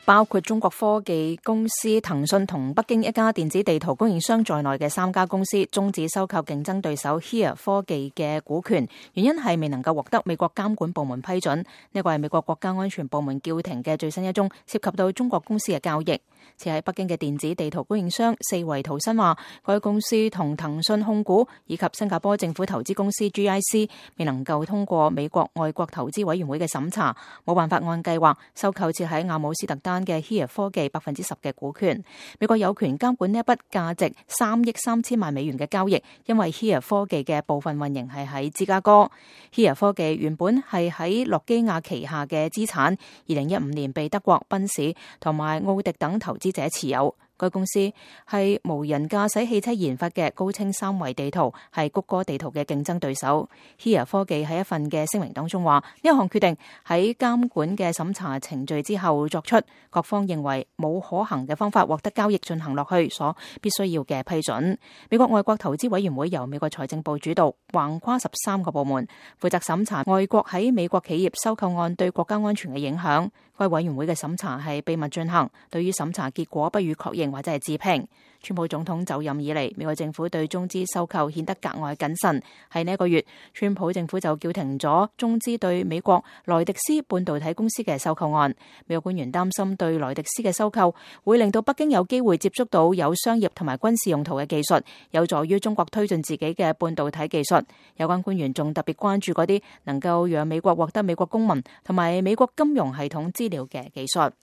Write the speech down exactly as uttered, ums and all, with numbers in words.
包括中國科技公司騰訊同北京一家電子地圖供應商在內嘅三家公司終止收購競爭對手 Here 科技嘅股權，原因係未能夠獲得美國監管部門批准。呢個係美國國家安全部門叫停嘅最新一宗涉及到中國公司嘅交易。設喺北京嘅電子地圖供應商四維圖新話，該公司同騰訊控股以及新加坡政府投資公司 G I C 未能夠通過美國外國投資委員會嘅審查，冇辦法按計劃收購設喺阿姆斯特丹嘅 Here 科技百分之十嘅股權。美國有權監管呢一筆價值三億三千萬美元嘅交易，因為 Here 科技嘅部分運營係喺芝加哥。Here 科技原本係喺諾基亞旗下嘅資產，二零一五年被德國賓士同埋奧迪等投資者持有。該公司係無人駕駛汽車研發嘅高清三維地圖，係谷歌地圖嘅競爭對手。Here 科技喺一份嘅聲明當中話，呢一項決定喺監管嘅審查程序之後作出，各方認為冇可行嘅方法獲得交易進行落去所必須要嘅批准。美國外國投資委員會由美國財政部主導，橫跨十三個部門，負責審查外國喺美國企業收購案對國家安全嘅影響。該委員會嘅審查係秘密進行，對於審查結果不予確認或者係置評。川普總統就任以嚟，美國政府對中資收購顯得格外謹慎。喺呢一個月，川普政府就叫停咗中資對美國萊迪斯半導體公司嘅收購案。美國官員擔心對萊迪斯嘅收購會令到北京有機會接觸到有商業同埋軍事用途嘅技術，有助於中國推進自己嘅半導體技術。有關官員仲特別關注嗰啲能夠讓美國獲得美國公民同埋美國金融系統資料嘅技術。